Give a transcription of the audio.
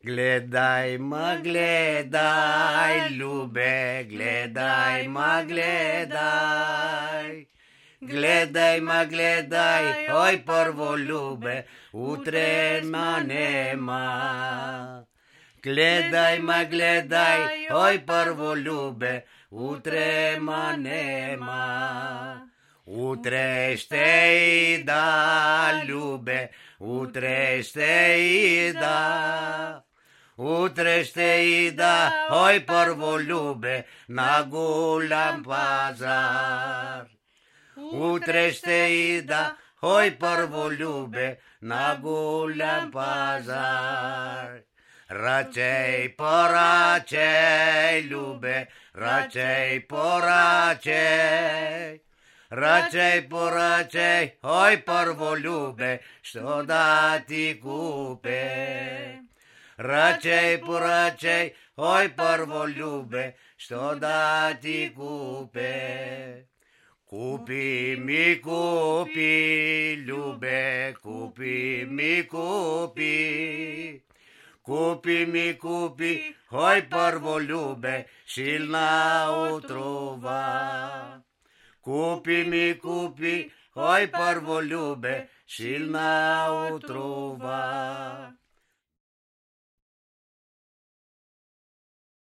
Gledaj ma gledaj, ljube, gledaj ma gledaj. Gledaj ma gledaj, oj prvo ljube, utrema nema. Gledaj ma gledaj, oj prvo ljube, utrema nema. Utrešte da, ljube, utrešte da. Utrešte da, oj prvo ljube, na Gulam pazar. Utrešte da, oj prvo ljube, na Gulam pazar. Račej poračej, ljube, račej poračej. Račej poračej, oj prvo ljube, što da ti kupe. Račej poračej, oj prvo ljube, što da ti kupe. Kupi mi kupi, ljube, kupi mi kupi. Kupi mi kupi, oj prvo ljube, silna otrova. Kupi mi kupi, oj prvo ljube, silna otrova.